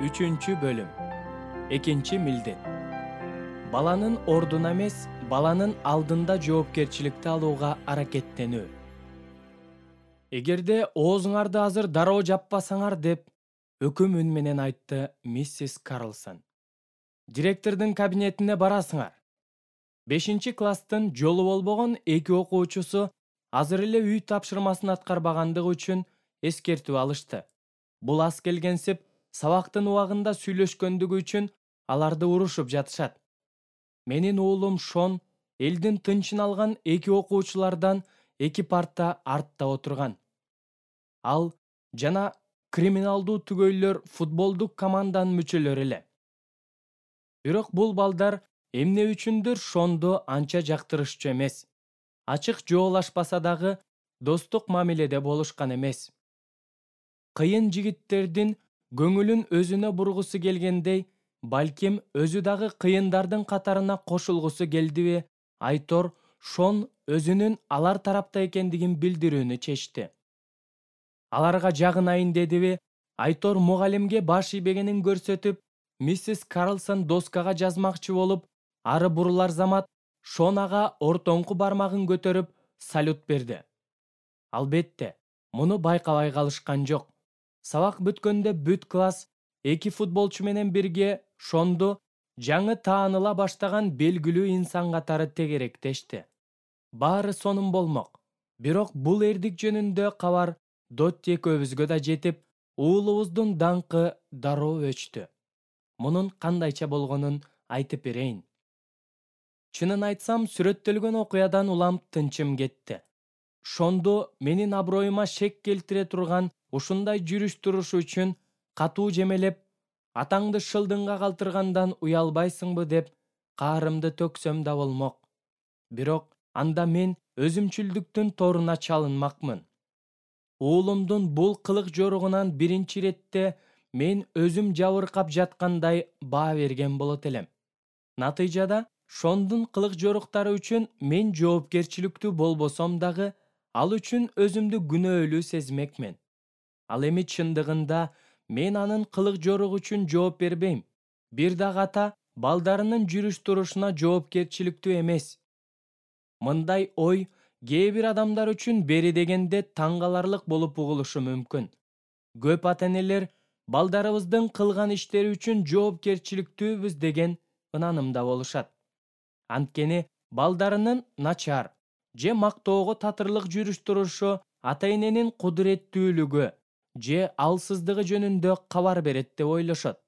Үчүнчү бөлүм. Экинчи милдет. Баланын ордуна эмес, баланын алдында жоопкерчиликти алууга аракеттенүү. Эгерде оозуңарды азыр дароо жаппасаңар деп өкүм үн менен айтты миссис Карлсон. Директордун кабинетине барасыңар. 5-класстын жолу болбогон эки окуучусу азыр эле үй тапшырмасын аткарбагандыгы үчүн эскертүү алышты. Бул аз келгенсип сабактын убагында сүйлөшкөндүгү үчүн аларды урушуп жатышат. Менин уулум Шон элдин тынчын алган эки окуучулардан эки парта артта отурган. Ал жана криминалдуу түгөйлөр футболдук команданын мүчөлөрү эле. Бирок бул балдар эмне үчүндүр Шонду анча жактырышчу эмес. Ачык жоолашпаса дагы достук мамиледе болушкан эмес. Кыйын жигиттердин көңүлүн өзүнө бургусу келгендей, балким өзү дагы кыйындардын катарына кошулгусу келдиби, Айтор Шон өзүнүн алар тарапта экендигин билдирүүнү чечти. Аларга жагынайын дедиби, Айтор мугалимге баш ийбегенин көрсөтүп, миссис Карлсон доскага жазмакчы болуп, ары бурулар замат Шон ага ортоңку бармагын көтөрүп салют берди. Албетте, муну байкабай калышкан жок. Сабак бүткөндө бүт класс эки футболчу менен бирге Шонду жаңы тааныла баштаган белгилүү инсан катары тегеректешти. Баары сонун болмок. Бирок бул эрдик жөнүндө кабар Дотти экөөбүзгө да жетип, уулубуздун даңкы дароо өчтү. Мунун кандайча болгонун айтып берейин. Чынын айтсам, сүрөттөлгөн окуядан улам тынчым кетти. Шонду менин аброюма шек келтире турган ушундай жүрүш турушу үчүн катуу жемелеп, атаңды шылдыңга калтыргандан уялбайсыңбы деп каарымды төксөм да болмок. Бирок анда мен өзүмчүлдүктүн торуна чалынмакмын. Уулумдун бул кылык жоругунан биринчи иретте мен өзүм жабыркап жаткандай баа берген болот элем. Натыйжада Шондун кылык жоруктары үчүн мен жоопкерчиликтүү болбосом дагы, ал үчүн өзүмдү күнөөлүү сезмекмин. Ал эми чындыгында мен анын кылык жоругу үчүн жооп бербейм. Бир дагы ата балдарынын жүрүш турушуна жоопкерчиликтүү эмес. Мындай ой кээ бир адамдар үчүн бери дегенде таң каларлык болуп угулушу мүмкүн. Көп ата-энелер балдарыбыздын кылган иштери үчүн жоопкерчиликтүүбүз деген ынанымда болушат. Анткени балдарынын начар же мактоого татырлык жүрүш турушу ата-эненин кудуреттүүлүгү же алсыздыгы жөнүндө кабар берет деп ойлошот.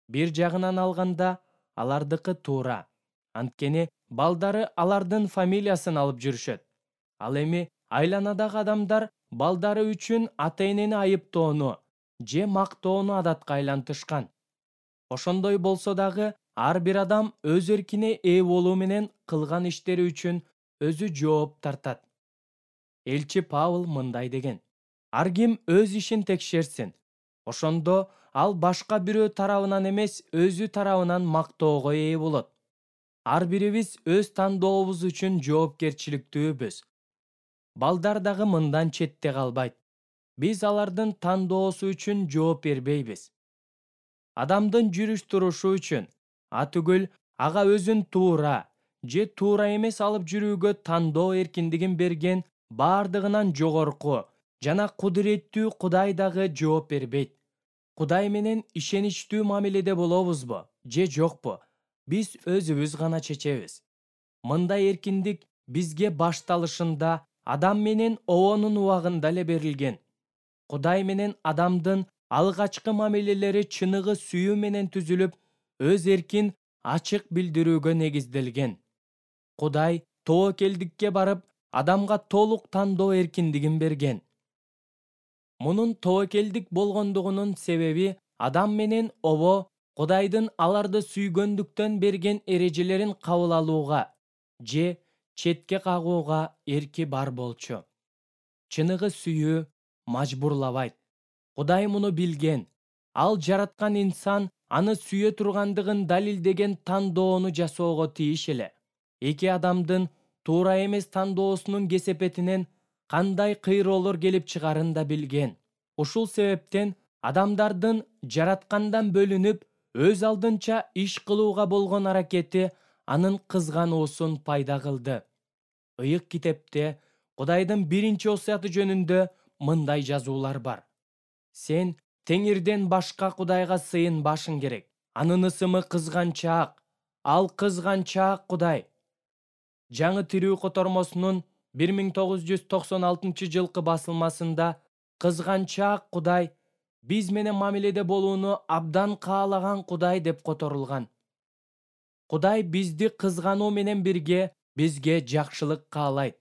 Бир жагынан алганда алардыкы туура. Анткени балдары алардын фамилиясын алып жүрүшөт. Ал эми айланадагы адамдар балдары үчүн ата-энени айыптоону же мактоону адатка айлантышкан. Ошондой болсо дагы ар бир адам өз эркине ээ болуу менен кылган иштери үчүн өзү жооп тартат. Элчи Павыл мындай деген: ар ким өз ишин текшерсин. Ошондо ал башка бирөө тарабынан эмес, өзү тарабынан мактоого ээ болот. Ар бирибиз өз тандообуз үчүн жоопкерчиликтүүбүз. Балдар дагы мындан четте калбайт. Биз алардын тандоосу үчүн жооп бербейбиз. Адамдын жүрүш турушу үчүн, атүгүл ага өзүн туура же туура эмес алып жүрүүгө тандоо эркиндигин берген баардыгынан жогорку жана кудуреттүү Кудай дагы жооп бербейт. Кудай менен ишеничтүү мамиледе болобузбу же жокпу, биз өзүбүз гана чечебиз. Мындай эркиндик бизге башталышында Адам менен Обонун убагында эле берилген. Кудай менен адамдын алгачкы мамилелери чыныгы сүйүү менен түзүлүп, өз эркин ачык билдирүүгө негизделген. Кудай тобокелдикке барып, адамга толук тандоо эркиндигин берген. Мунун тобокелдик болгондугунун себеби Адам менен Обо Кудайдын аларды сүйгөндүктөн берген эрежелерин кабыл алууга же четке кагууга эрки бар болчу. Чыныгы сүйүү мажбурлабайт. Кудай муну билген. Ал жараткан инсан аны сүйө тургандыгын далилдеген тандоону жасоого тийиш эле. Эки адамдын туура эмес тандоосунун кесепетинен кандай кыйроолор келип чыгарын да билген. Ушул себептен адамдардын жараткандан бөлүнүп өз алдынча иш кылууга болгон аракети анын кызгануусун пайда кылды. Ыйык китепте Кудайдын биринчи осуяты жөнүндө мындай жазуулар бар. Сен Теңирден башка Кудайга сыйынбашың керек. Анын ысымы кызганчаак. Ал кызганчаак Кудай. Жаңы тирүү котормосунун 1996-жылкы басылмасында кызганчаак Кудай, биз менен мамиледе болууну абдан каалаган Кудай деп которулган. Кудай бизди кызгануу менен бирге бизге жакшылык каалайт.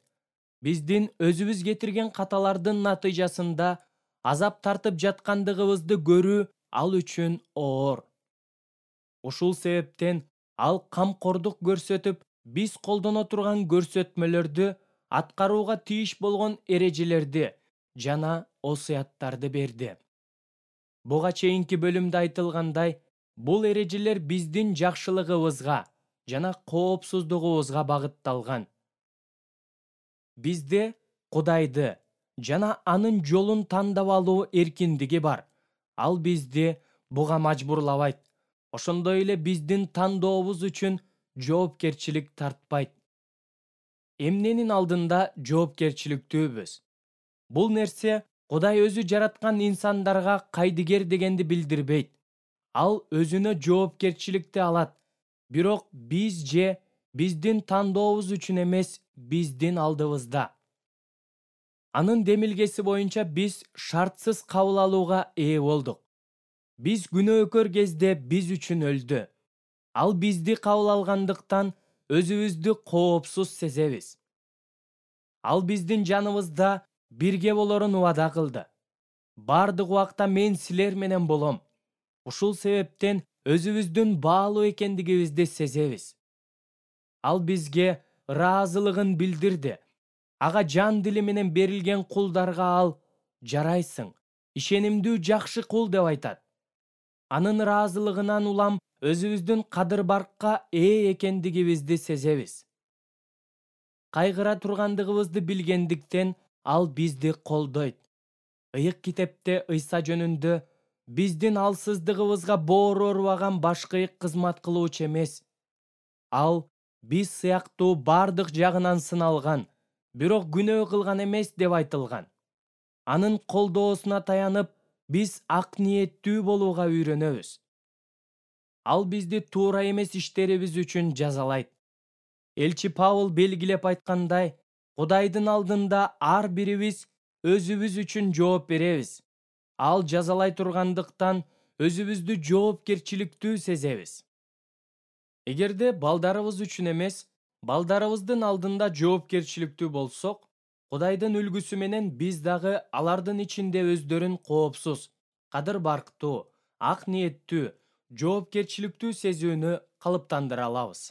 Биздин өзүбүз кетирген каталардын натыйжасында азап тартып жаткандыгыбызды көрүү ал үчүн оор. Ушул себептен ал камкордук көрсөтүп, биз колдоно турган көрсөтмөлөрдү, аткарууга тийиш болгон эрежелерди жана осуяттарды берди. Буга чейинки бөлүмдө айтылгандай, бул эрежелер биздин жакшылыгыбызга жана коопсуздугубузга багытталган. Бизде Кудайды жана анын жолун тандап алуу эркиндиги бар. Ал бизди буга мажбурлабайт. Ошондой эле биздин тандообуз үчүн жоопкерчилик тартпайт. Эмненин алдында жоопкерчиликтүүбүз? Бул нерсе Кудай өзү жараткан инсандарга кайдыгер дегенди билдирбейт. Ал өзүнө жоопкерчиликти алат. Бирок биз же биздин тандообуз үчүн эмес, биздин алдыбызда. Анын демилгеси боюнча биз шартсыз кабыл алууга ээ болдук. Биз күнөөкөр кезде биз үчүн өлдү. Ал бизди кабыл алгандыктан өзүбүздү коопсуз сезебиз. Ал биздин жаныбызда бирге болорун убада кылды. Бардык убакта мен силер менен болом. Ушул себептен өзүбүздүн баалуу экендигибизди сезебиз. Ал бизге ыраазылыгын билдирди. Ага жан дили менен берилген кулдарга ал жарайсың, ишенимдүү жакшы кул деп айтат. Анын ыраазылыгынан улам өзүбүздүн кадыр-баркка ээ экендигибизди сезебиз. Кайгыра тургандыгыбызды билгендиктен ал бизди колдойт. Ыйык китепте Ыйса жөнүндө биздин алсыздыгыбызга боору оорубаган башкы кызмат кылуучу эмес. Ал биз сыяктуу бардык жагынан сыналган, бирок күнөө кылган эмес деп айтылган. Анын колдоосуна таянып, биз ак ниеттүү болууга үйрөнөбүз. Ал бизди туура эмес иштерибиз үчүн жазалайт. Элчи Павыл белгилеп айткандай, Кудайдын алдында ар бирибиз өзүбүз үчүн жооп беребиз. Ал жазалай тургандыктан өзүбүздү жоопкерчиликтүү сезебиз. Эгерде балдарыбыз үчүн эмес, балдарыбыздын алдында жоопкерчиликтүү болсок, Кудайдын үлгүсү менен биз дагы алардын ичинде өздөрүн коопсуз, кадыр-барктуу, ак ниеттүү, жоопкерчиликтүү сезүүнү калыптандыра алабыз.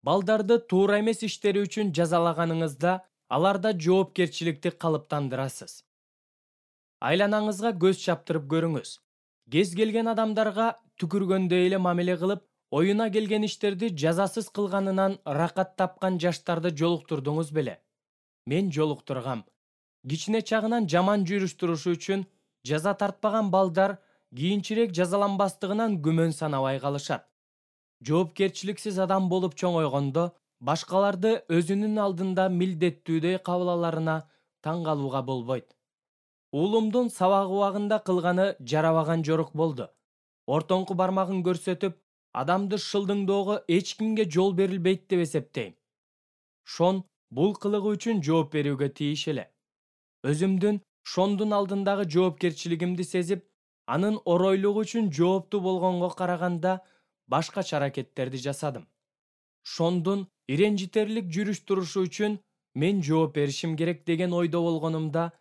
Балдарды туура эмес иштери үчүн жазалаганыңызда, аларда жоопкерчиликти калыптандырасыз. Айланаңызга көз чаптырып көрүңүз. Кез келген адамдарга түкүргөндөй эле мамиле кылып, оюна келген иштерди жазасыз кылганынан ракат тапкан жаштарды жолуктурдуңуз беле? Мен жолуктургам. Кичине чагынан жаман жүрүш турушу үчүн жаза тартпаган балдар кийинчерээк жазаланбастыгынан күмөн санабай калышат. Жоопкерчиликсиз адам болуп чоңойгондо, башкаларды өзүнүн алдында милдеттүүдөй кабыл аларына таң калууга болбойт. Уулумдун сабак убагында кылганы жарабаган жорук болду. Ортоңку бармагын көрсөтүп, адамды шылдыңдоого эч кимге жол берилбейт деп эсептейм. Шон бул кылыгы үчүн жооп берүүгө тийиш эле. Өзүмдүн Шондун алдындагы жоопкерчилигимди сезип, анын оройлугу үчүн жооптуу болгонго караганда башкача аракеттерди жасадым. Шондун иренжитерлик жүрүш турушу үчүн мен жооп беришим керек деген ойдо болгонумда,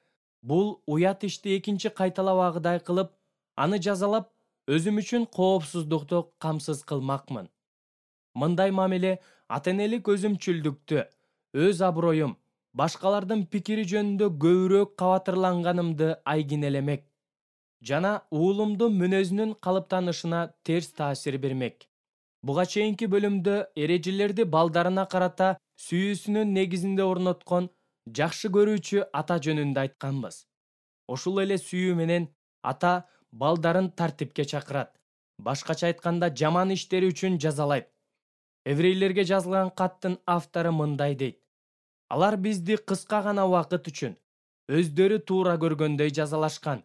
бул уят ишти экинчи кайталабагыдай кылып, аны жазалап, өзүм үчүн коопсуздукту камсыз кылмакмын. Мындай мамиле ата-энелик өзүмчүлдүктү, өз аброюм, башкалардын пикири жөнүндө көбүрөөк кабатырланганымды айгинелемек жана уулумдун мүнөзүнүн калыптанышына терс таасир бермек. Буга чейинки бөлүмдө эрежелерди балдарына карата сүйүүсүнүн негизинде орноткон жакшы көрүүчү ата жөнүндө айтканбыз. Ошол эле сүйүү менен ата балдарын тартипке чакырат. Башкача айтканда, жаман иштери үчүн жазалайт. Еврейлерге жазылган каттын автору мындай дейт: алар бизди кыска гана убакыт үчүн өздөрү туура көргөндөй жазалашкан.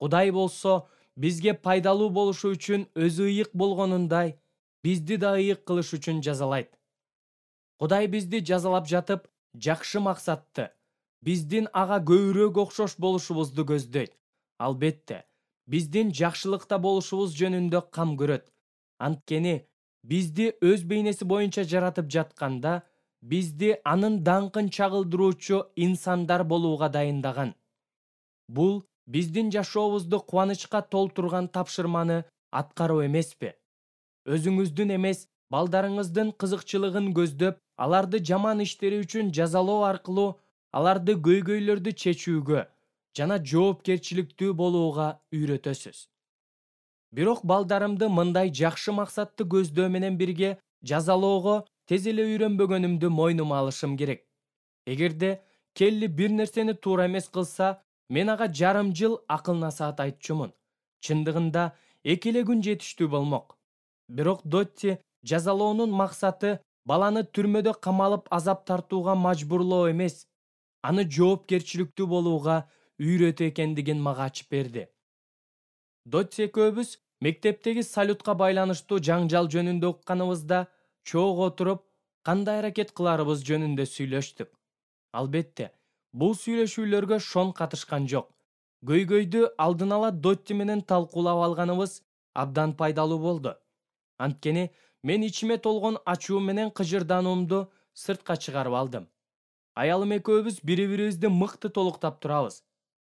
Кудай болсо бизге пайдалуу болушу үчүн өзү ыйык болгонундай, бизди да ыйык кылыш үчүн жазалайт. Кудай бизди жазалап жатып, жакшы максатты, биздин ага көбүрөөк окшош болушубузду көздөйт. Албетте, биздин жакшылыкта болушубуз жөнүндө кам көрөт. Анткени бизди өз бейнеси боюнча жаратып жатканда, бизди анын даңкын чагылдыруучу инсандар болууга дайындаган. Бул биздин жашообузду кубанычка толтурган тапшырманы аткаруу эмеспи? Өзүңүздүн эмес, балдарыңыздын кызыкчылыгын көздөп, аларды жаман иштери үчүн жазалоо аркылуу аларды көйгөйлөрдү чечүүгө жана жоопкерчиликтүү болууга үйрөтөсүз. Бирок балдарымды мындай жакшы максатты көздөө менен бирге жазалоого тез эле үйрөнбөгөнүмдү мойнума алышым керек. Эгерде Келли бир нерсени туура эмес кылса, мен ага жарым жыл акыл насаат айтчумун. Чындыгында 2 эле күн жетиштүү болмок. Бирок Дотти жазалоонун максаты баланы түрмөдө камалып азап тартууга мажбурлоо эмес, аны жоопкерчиликтүү болууга үйрөтүү экендигин мага ачып берди. Дотти экөөбүз мектептеги салютка байланыштуу жаңжал жөнүндө укканыбызда чогуу отуруп, кандай аракет кыларыбыз жөнүндө сүйлөштүк. Албетте, бул сүйлөшүүлөргө Шон катышкан жок. Көйгөйдү алдын ала Дотти менен талкуулап алганыбыз абдан пайдалуу болду. Анткени мен ичиме толгон ачуу менен кыжырдануумду сыртка чыгарып алдым. Аялым экөөбүз бири-бирибизди мыкты толуктап турабыз.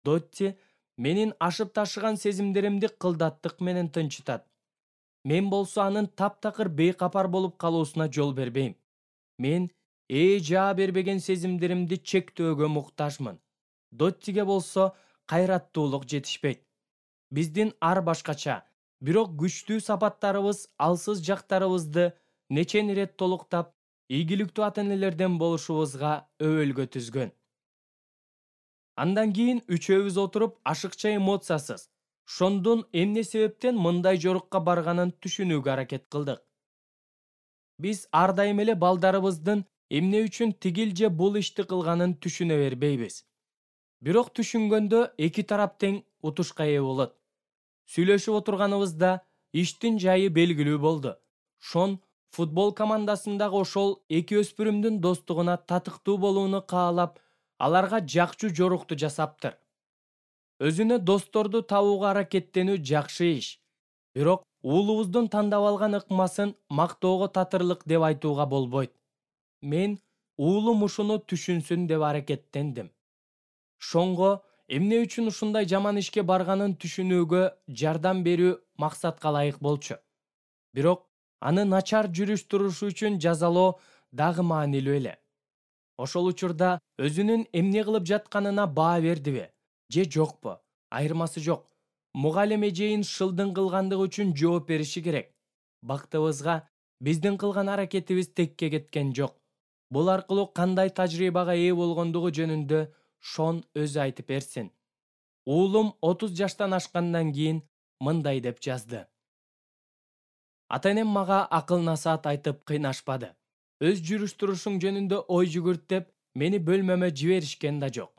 Дотти менин ашып ташыган сезимдеримди кылдаттык менен тынчытат. Мен болсо анын таптакыр бейкапар болуп калуусуна жол бербейм. Мен жаа бербеген сезимдеримди чектөөгө муктажмын. Доттиге болсо кайраттуулук жетишпейт. Биздин ар башкача, бирок күчтүү сапаттарыбыз алсыз жактарыбызды нечен ирет толуктап, ийгиликтүү ата-энелерден болушубузга өбөлгө түзгөн. Андан кийин үчөөбүз отуруп ашыкча эмоциясыз Шондун эмне себептен мындай жорукка барганын түшүнүүгө аракет кылдык. Биз ар дайым эле балдарыбыздын эмне үчүн тигил же бул ишти кылганын түшүнө бербейбиз. Бирок түшүнгөндө эки тарап тең утушка ээ болот. Сүйлөшүп отурганыбызда иштин жайы белгилүү болду. Шон футбол командасындагы ошол эки өспүрүмдүн достугуна татыктуу болууну каалап, аларга жакчу жорукту жасаптыр. Өзүнө досторду табууга аракеттенүү жакшы иш. Бирок уулубуздун тандап алган ыкмасын мактоого татырлык деп айтууга болбойт. Мен уулум ушуну түшүнсүн деп аракеттендим. Шонго эмне үчүн ушундай жаман ишке барганын түшүнүүгө жардам берүү максатка ылайык болчу. Бирок аны начар жүрүш турушу үчүн жазалоо дагы маанилүү эле. Ошол учурда өзүнүн эмне кылып жатканына баа бердиби же жокпу? Айырмасы жок. Мугалим эжейин шылдың кылгандыгы үчүн жооп бериши керек. Бактыбызга биздин кылган аракетибиз текке кеткен жок. Бул аркылуу кандай тажрыйбага ээ болгондугу жөнүндө Шон өзү айтып берсин. Уулум 30 жаштан ашкандан кийин мындай деп жазды. Ата-энем мага акыл насаат айтып кыйнашпады. Өз жүрүш-турушуң жөнүндө ой жүгүрт деп мени бөлмөмө жиберишкен да жок.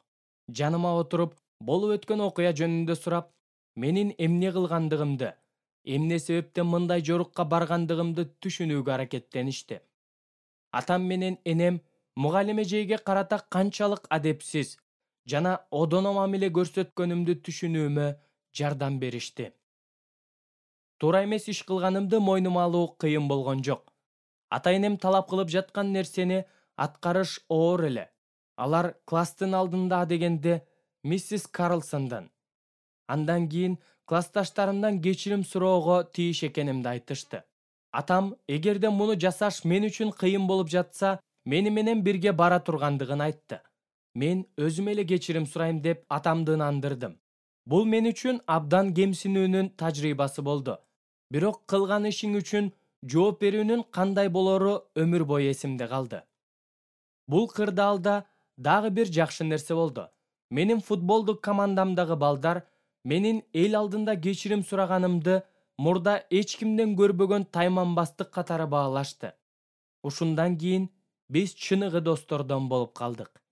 Жаныма отуруп, болуп өткөн окуя жөнүндө сурап, менин эмне кылгандыгымды, эмне себептен мындай жорукка баргандыгымды түшүнүүгө аракеттеништи. Атам менен энем мугалим эжейге карата канчалык адепсиз жана одоно мамиле көрсөткөнүмдү түшүнүүмө жардам беришти. Туура эмес иш кылганымды мойнума алуу кыйын болгон жок. Ата-энем талап кылып жаткан нерсени аткарыш оор эле. Алар класстын алдында адегенде миссис Карлсондон. Андан кийин классташтарымдан кечирим суроого тийиш экенимди айтышты. Атам, эгерде муну жасаш мен үчүн кыйын болуп жатса, мени менен бирге бара тургандыгын айтты. Мен өзүм эле кечирим сурайм деп атамды ынандырдым. Бул мен үчүн абдан кемсинүүнүн тажрыйбасы болду. Бирок кылган ишиң үчүн жооп берүүнүн кандай болору өмүр бою эсимде калды. Бул кырдаалда дагы бир жакшы нерсе болду. Менин футболдук командамдагы балдар Менин эл алдында кечирим сураганымды мурда эч кимден көрбөгөн тайманбастык катары баалашты. Ушундан кийин биз чыныгы достордон болуп калдык.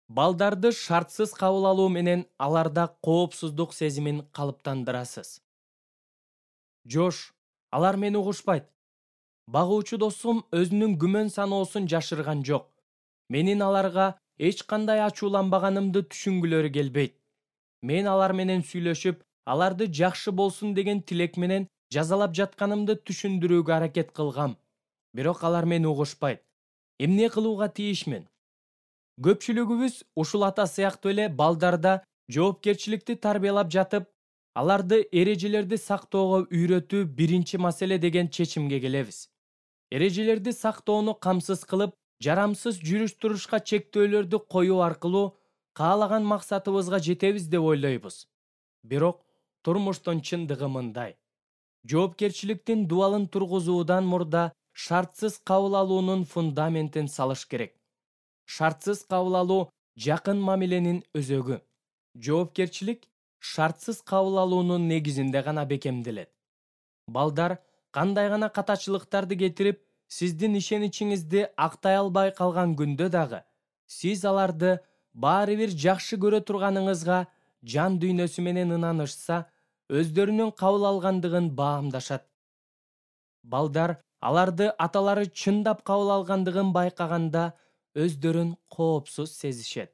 Балдарды шартсыз кабыл алуу менен аларда коопсуздук сезимин калыптандырасыз. Жош, алар мени угушпайт. Багуучу досум өзүнүн күмөн саноосун жашырган жок. Менин аларга эч кандай ачууланбаганымды түшүнгүлөрү келбейт. Мен алар менен сүйлөшүп, аларды жакшы болсун деген тилек менен жазалап жатканымды түшүндүрүүгө аракет кылгам. Бирок алар мени угушпайт. Эмне кылууга тийишмин? Көпчүлүгүбүз ушул ата сыяктуу эле балдарда жоопкерчиликти тарбиялап жатып, аларды эрежелерди сактоого үйрөтүү биринчи маселе деген чечимге келебиз. Эрежелерди сактоону камсыз кылып, жарамсыз жүрүш-турушка чектөөлөрдү коюу аркылуу каалаган максатыбызга жетебиз деп ойлойбуз. Бирок турмуштун чындыгы мындай. Жоопкерчиликтин дубалын тургузуудан мурда шартсыз кабыл алуунун фундаментин салыш керек. Шартсыз кабыл алуу жакын мамиленин өзөгү. Жоопкерчилик шартсыз кабыл алуунун негизинде гана бекемделет. Балдар кандай гана катачылыктарды кетирип, сиздин ишеничиңизди актай албай калган күндө дагы, сиз аларды баары бир жакшы көрө турганыңызга жан дүйнөсү менен ынанышса, өздөрүнүн кабыл алгандыгын баамдашат. Балдар аларды аталары чындап кабыл алгандыгын байкаганда өздөрүн коопсуз сезишет.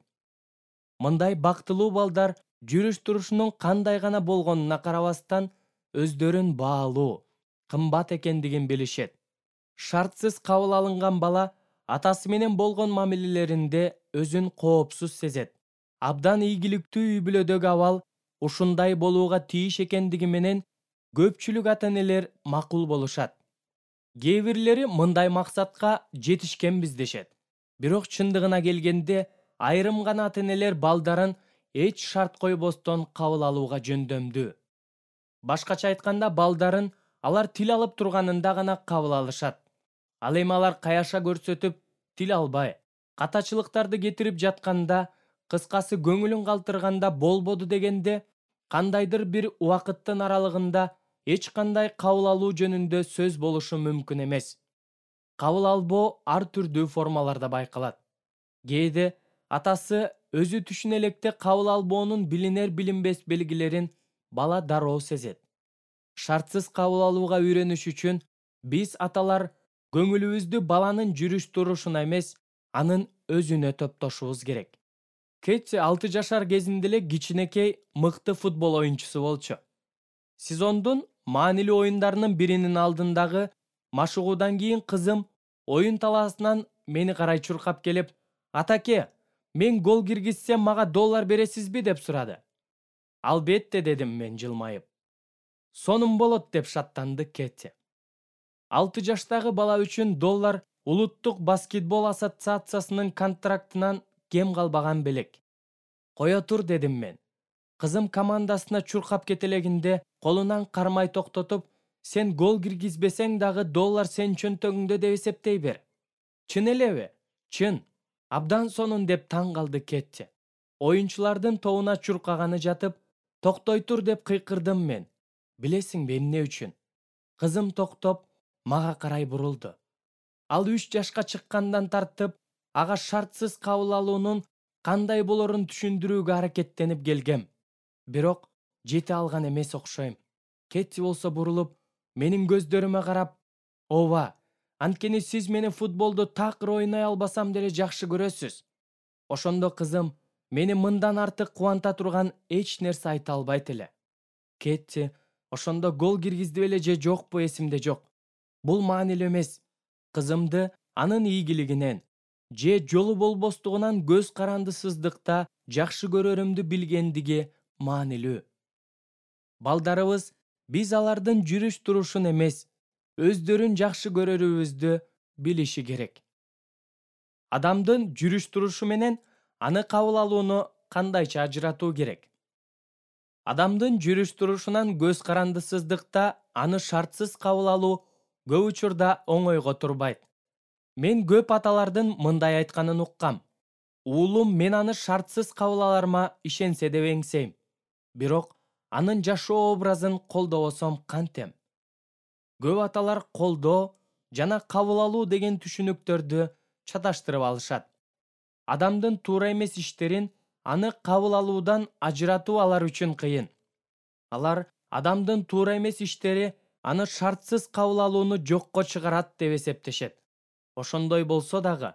Мындай бактылуу балдар жүрүш-турушунун кандай гана болгонуна карабастан өздөрүн баалуу, кымбат экендигин билишет. Шартсыз кабыл алынган бала атасы менен болгон мамилелеринде өзүн коопсуз сезет. Абдан ийгиликтүү үй-бүлөдөгү абал ушундай болууга тийиш экендиги менен көпчүлүк ата-энелер макул болушат. Кээ бирлери мындай максатка жетишкенбиз дешет. Бирок чындыгына келгенде айрым гана ата-энелер балдарын эч шарт койбостон кабыл алууга жөндөмдүү. Башкача айтканда, балдарын алар тил алып турганында гана кабыл алышат. Ал эми алар каяша көрсөтүп, тил албай, катачылыктарды кетирип жатканда, кыскасы көңүлүн калтырганда болбоду дегенде, кандайдыр бир убакыттын аралыгында эч кандай кабыл алуу жөнүндө сөз болушу мүмкүн эмес. Кабыл албоо ар түрдүү формаларда байкалат. Кээде атасы өзү түшүнө электе кабыл албоонун билинер-билинбес белгилерин бала дароо сезет. Шартсыз кабыл алууга үйрөнүш үчүн биз аталар көңүлүбүздү баланын жүрүш-турушуна эмес, анын өзүнө топтошубуз керек. Кетти 6 жашар кезинде эле кичинекей мыкты футбол оюнчусу болчу. Сезондун маанилүү оюндарынын биринин алдындагы машыгуудан кийин кызым оюн талаасынан мени карай чуркап келип, «Атаке, мен гол киргизсем мага $1 бересизби?» деп сурады. «Албетте», дедим мен жылмайып. «Сонун болот», деп шаттанды Кетти. 6 жаштагы бала үчүн $1 Улуттук баскетбол ассоциациясынын контрактынан кем калбаган белек. «Кое тур», дедим мен. Кызым командасына чуркап кетелегинде колунан кармай токтотуп, «Сен гол киргизбесең дагы $1 сен чөнтөгүңдө деп эсептей бер». «Чын элеби?» «Чын. Абдан сонун», деп таң калды Кетти. Оюнчулардын тобуна чуркаганы жатып, «Токтой тур», деп кыйкырдым мен. Билесиңби эмне үчүн? Кызым токтоп, мага карай бурулду. Ал 3 жашка чыккандан тартып, ага шартсыз кабыл алуунун кандай болорун түшүндүрүүгө аракеттенип келгем. Бирок жете алган эмес окшойм. Кетти болсо бурулуп, менин көздөрүмө карап, «Ооба, анткени сиз мени футболду такыр ойной албасам деле жакшы көрөсүз». Ошондо кызым мени мындан артык кубанта турган эч нерсе айта албайт эле. Кетти ошондо гол киргизди беле же жокпу эсимде жок. Бул маанилүү эмес. Кызымды анын ийгилигинен же жолу болбостугунан көз карандысыздыкта жакшы көрөрүмдү билгендиги маанилүү. Балдарыбыз биз алардын жүрүш-турушун эмес, өздөрүн жакшы көрөрүбүздү билиши керек. Адамдын жүрүш-турушу менен аны кабыл алууну кандайча ажыратуу керек? Адамдын жүрүш-турушунан көз карандысыздыкта аны шартсыз кабыл алуу көп учурда оңойго турбайт. Мен көп аталардын мындай айтканын уккам. «Уулум мен аны шартсыз кабыл аларыма ишенсе деп эңсейм. Бирок анын жашоо образын колдобосом кантем? Көп аталар колдоо жана кабыл алуу деген түшүнүктөрдү чаташтырып алышат. Адамдын туура эмес иштерин аны кабыл алуудан ажыратуу алар үчүн кыйын. Алар адамдын туура эмес иштери аны шартсыз кабыл алууну жокко чыгарат деп эсептешет. Ошондой болсо дагы,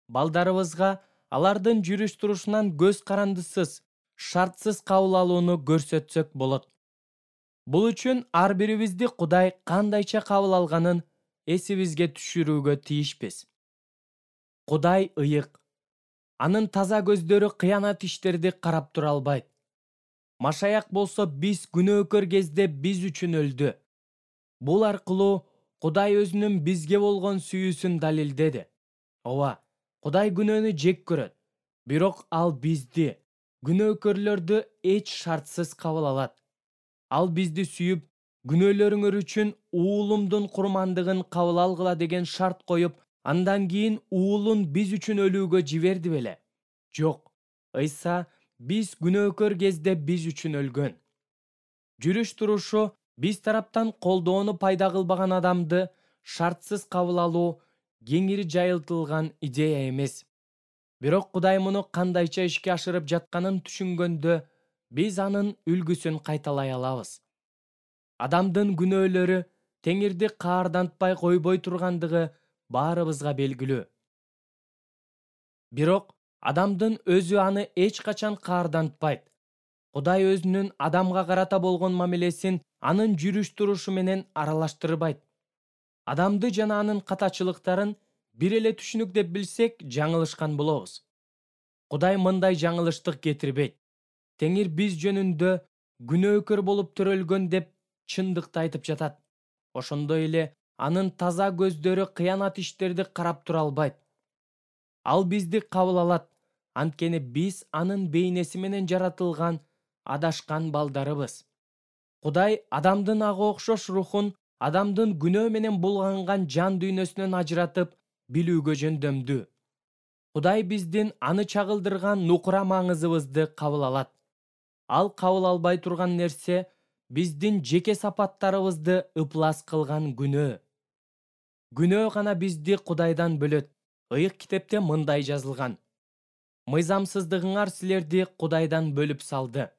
балдарыбызга алардын жүрүш турушунан көз карандысыз, шартсыз кабыл алууну көрсөтсөк болот. Бул үчүн ар бирибизди Кудай кандайча кабыл алганын эсибизге түшүрүүгө тийишпиз. Кудай ыйык. Анын таза көздөрү кыянат иштерди карап тура албайт. Машаяк болсо биз күнөөкөр кезде биз үчүн өлдү. Бул аркылуу Кудай өзүнүн бизге болгон сүйүүсүн далилдеди. Ооба, Кудай күнөөнү жек көрөт, бирок ал бизди, күнөөкөрлөрдү эч шартсыз кабыл алат. Ал бизди сүйүп, күнөөлөрүңөр үчүн уулумдун курмандыгын кабыл алгыла деген шарт коюп, андан кийин уулун биз үчүн өлүүгө жиберди беле? Жок, Ыйса биз күнөөкөр кезде биз үчүн өлгөн. Жүрүш турушу биз тараптан колдоону пайда кылбаган адамды шартсыз кабыл алуу кеңири жайылтылган идея эмес. Бирок Кудай муну кандайча ишке ашырып жатканын түшүнгөндө, биз анын үлгүсүн кайталай алабыз. Адамдын күнөөлөрү Теңирди каардантпай койбой тургандыгы баарыбызга белгилүү. Бирок адамдын өзү аны эч качан каардантпайт. Кудай өзүнүн адамга карата болгон мамилесин анын жүрүш турушу менен аралаштырбайт. Адамды жана анын катачылыктарын бир эле түшүнүк деп билсек, жаңылышкан болобуз. Кудай мындай жаңылыштык кетирбейт. Теңир биз жөнүндө күнөөкөр болуп төрөлгөн деп чындыкты айтып жатат. Ошондой эле анын таза көздөрү кыянат иштерди карап тура албайт. Ал бизди кабыл алат, анткени биз анын бейнеси менен жаратылган адашкан балдарыбыз. Кудай адамдын ага окшош рухун адамдын күнөө менен булганган жан дүйнөсүнөн ажыратып билүүгө жөндөмдүү. Кудай биздин аны чагылдырган нукура маңызыбызды кабыл алат. Ал кабыл албай турган нерсе биздин жеке сапаттарыбызды ыплас кылган күнөө. Күнөө гана бизди Кудайдан бөлөт. Ыйык китепте мындай жазылган: мыйзамсыздыгыңар силерди Кудайдан бөлүп салды.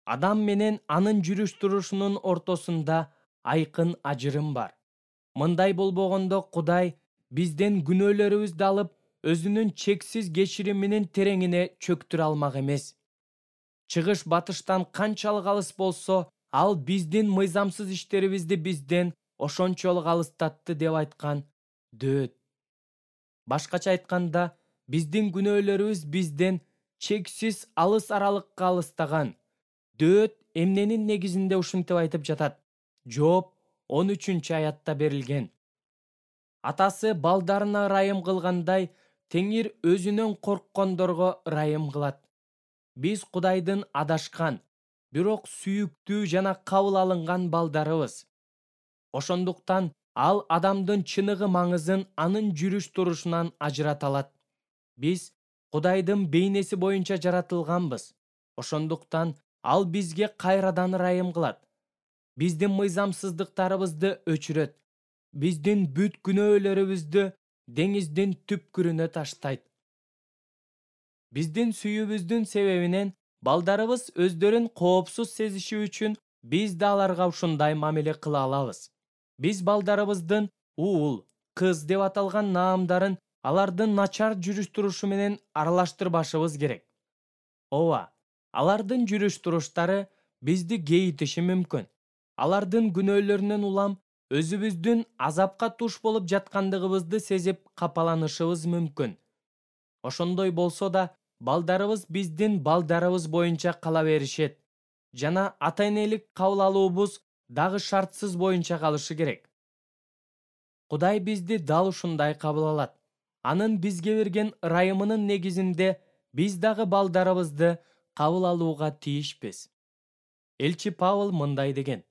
Адам менен анын жүрүш турушунун ортосунда айкын ажырым бар. Мындай болбогондо Кудай бизден күнөөлөрүбүздү алып, өзүнүн чексиз кечириминин тереңине чөктүрө алмак эмес. Чыгыш батыштан канчалык алыс болсо, ал биздин мыйзамсыз иштерибизди бизден ошончолук алыстатты деп айткан дөөт. Башкача айтканда, биздин күнөөлөрүбүз бизден чексиз алыс аралыкка алыстаган. Дөөт эмненин негизинде ушинтип айтып жатат? Жооп 13-аятта берилген. Атасы балдарына ырайым кылгандай, Теңир өзүнөн корккондорго ырайым кылат. Биз Кудайдын адашкан, бирок сүйүктүү жана кабыл алынган балдарыбыз. Ошондуктан ал адамдын чыныгы маңызын анын жүрүш турушунан ажырата алат. Биз Кудайдын бейнеси боюнча жаратылганбыз. Ошондуктан ал бизге кайрадан ырайым кылат. Биздин мыйзамсыздыктарыбызды өчүрөт. Биздин бүт күнөөлөрүбүздү деңиздин түпкүрүнө таштайт. Биздин сүйүүбүздүн себебинен балдарыбыз өздөрүн коопсуз сезиши үчүн биз да аларга ушундай мамиле кыла алабыз. Биз балдарыбыздын уул, кыз деп аталган наамдарын алардын начар жүрүш турушу менен аралаштырбашыбыз керек. Ооба, алардын жүрүш туруштары бизди кейитиши мүмкүн. Алардын күнөөлөрүнөн улам өзүбүздүн азапка туш болуп жаткандыгыбызды сезип капаланышыбыз мүмкүн. Ошондой болсо да, балдарыбыз биздин балдарыбыз боюнча кала беришет жана ата-энелик кабыл алуубуз дагы шартсыз боюнча калышы керек. Кудай бизди дал ушундай кабыл алат. Анын бизге берген ырайымынын негизинде биз дагы балдарыбызды кабыл алууга тийишпиз. Элчи Павыл мындай деген: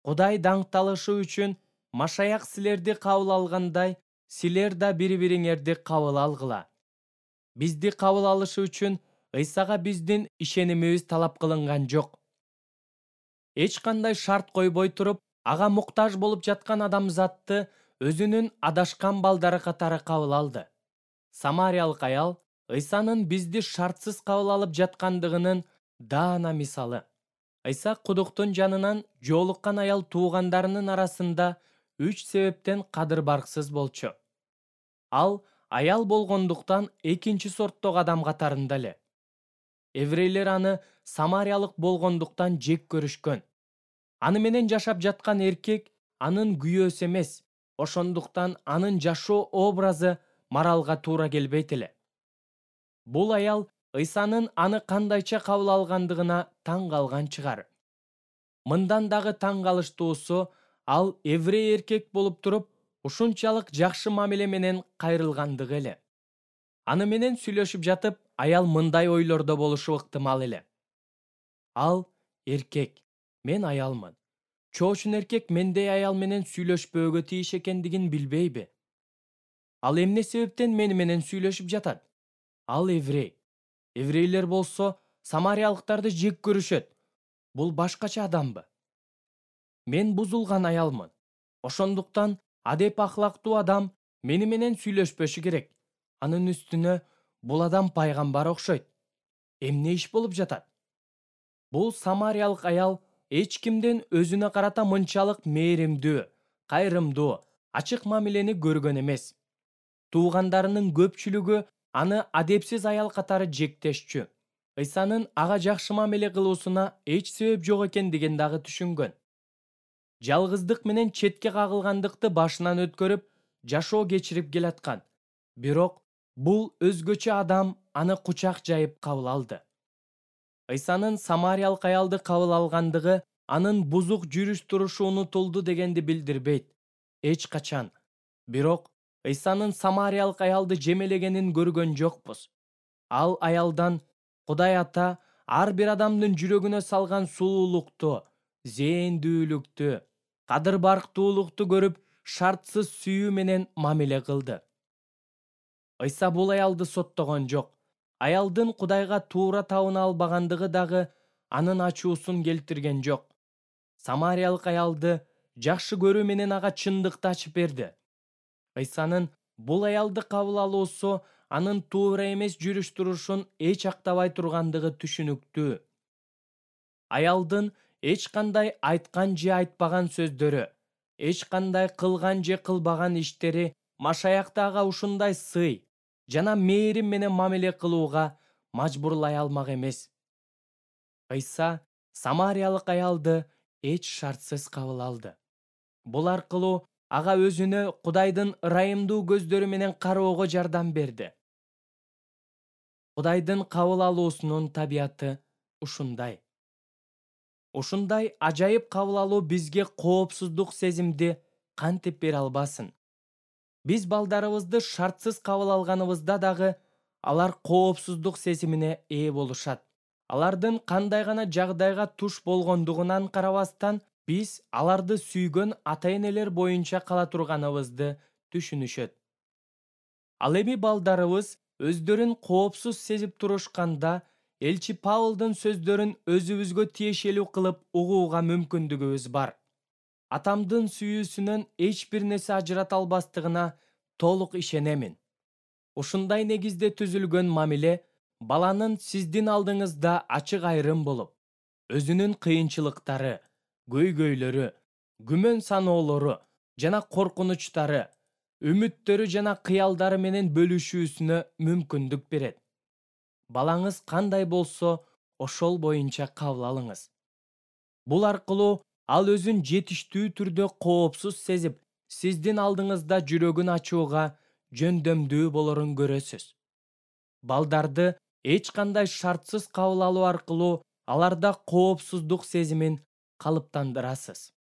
Кудай даңкталышы үчүн Машаяк силерди кабыл алгандай, силер да бири-бириңерди кабыл алгыла. Бизди кабыл алышы үчүн Ыйсага биздин ишенимибиз талап кылынган жок. эч кандай шарт койбой туруп, ага муктаж болуп жаткан адамзатты өзүнүн адашкан балдары катары кабыл алды. Самариялык аял Ыйсанын бизди шартсыз кабыл алып жаткандыгынын даана мисалы. Ыйса кудуктун жанынан жолуккан аял туугандарынын арасында 3 себептен кадыр-барксыз болчу. Ал аял болгондуктан экинчи сорттогу адам катарында эле. Еврейлер аны самариялык болгондуктан жек көрүшкөн. Аны менен жашап жаткан эркек анын күйөөсү эмес, ошондуктан анын жашоо образы моралга туура келбейт эле. Бул аял Ыйсанын аны кандайча кабыл алгандыгына таң калган чыгар. Мындан дагы таң калыштуусу, ал еврей эркек болуп туруп, ушунчалык жакшы мамиле менен кайрылгандыгы эле. Аны менен сүйлөшүп жатып, аял мындай ойлордо болушу ыктымал эле. Ал эркек, мен аялмын. Чоочун эркек мендей аял менен сүйлөшпөөгө тийиш экендигин билбейби? Ал эмне себептен мени менен сүйлөшүп жатат? Ал еврей. Еврейлер болсо самариялыктарды жек көрүшөт. Бул башкача адамбы? Мен бузулган аялмын. Ошондуктан адеп ахлактуу адам мени менен сүйлөшпөшү керек. Анын үстүнө бул адам пайгамбар окшойт. Эмне иш болуп жатат? Бул самариялык аял эч кимден өзүнө карата мынчалык мээримдүү, кайрымдуу, ачык мамилени көргөн эмес. Туугандарынын көпчүлүгү аны адепсиз аял катары жектешчү. Ыйсанын ага жакшы мамиле кылуусуна эч себеп жок экендигин дагы түшүнгөн. Жалгыздык менен четке кагылгандыкты башынан өткөрүп, жашоо кечирип келаткан. Бирок бул өзгөчө адам аны кучак жайып кабыл алды. Ыйсанын самариялык аялды кабыл алгандыгы анын бузук жүрүш-турушу унутулду дегенди билдирбейт. Эч качан. Бирок Ыйсанын самариялык аялды жемелегенин көргөн жокпуз. Ал аялдан Кудай Ата ар бир адамдын жүрөгүнө салган сулуулукту, зээндүүлүктү, кадыр-барктуулукту көрүп, шартсыз сүйүү менен мамиле кылды. Ыйса бул аялды соттогон жок. Аялдын Кудайга туура табына албагандыгы дагы анын ачуусун келтирген жок. Самариялык аялды жакшы көрүү менен ага чындыкты ачып берди. Ыйсанын бул аялды кабыл алуусу анын туура эмес жүрүш-турушун эч актабай тургандыгы түшүнүктүү. Аялдын эч кандай айткан же айтпаган сөздөрү, эч кандай кылган же кылбаган иштери Машаякты ага ушундай сый жана мээрим менен мамиле кылууга мажбурлай алмак эмес. Ыйса самариялык аялды эч шартсыз кабыл алды. Бул аркылуу ага өзүнө Кудайдын ырайымдуу көздөрү менен кароого жардам берди. Кудайдын кабыл алуусунун табияты ушундай. Ушундай ажайып кабыл алуу бизге коопсуздук сезимди кантип бере албасын? Биз балдарыбызды шартсыз кабыл алганыбызда дагы алар коопсуздук сезимине ээ болушат. Алардын кандай гана жагдайга туш болгондугунан карабастан, биз аларды сүйгөн ата-энелер боюнча кала турганыбызды түшүнүшөт. Ал эми балдарыбыз өздөрүн коопсуз сезип турушканда, элчи Павлдын сөздөрүн өзүбүзгө тиешелүү кылып угууга мүмкүндүгүбүз бар. Атамдын сүйүүсүнөн эч бир нерсе ажырата албастыгына толук ишенемин. Ушундай негизде түзүлгөн мамиле баланын сиздин алдыңызда ачык айрым болуп, өзүнүн кыйынчылыктары, көйгөйлөрү, күмөн саноолору жана коркунучтары, үмүттөрү жана кыялдары менен бөлүшүүсүнө мүмкүндүк берет. Балаңыз кандай болсо, ошол боюнча кабыл алыңыз. Бул аркылуу ал өзүн жетиштүү түрдө коопсуз сезип, сиздин алдыңызда жүрөгүн ачууга жөндөмдүү болорун көрөсүз. Балдарды эч кандай шартсыз кабыл алуу аркылуу аларда коопсуздук сезимин калыптандырасыз.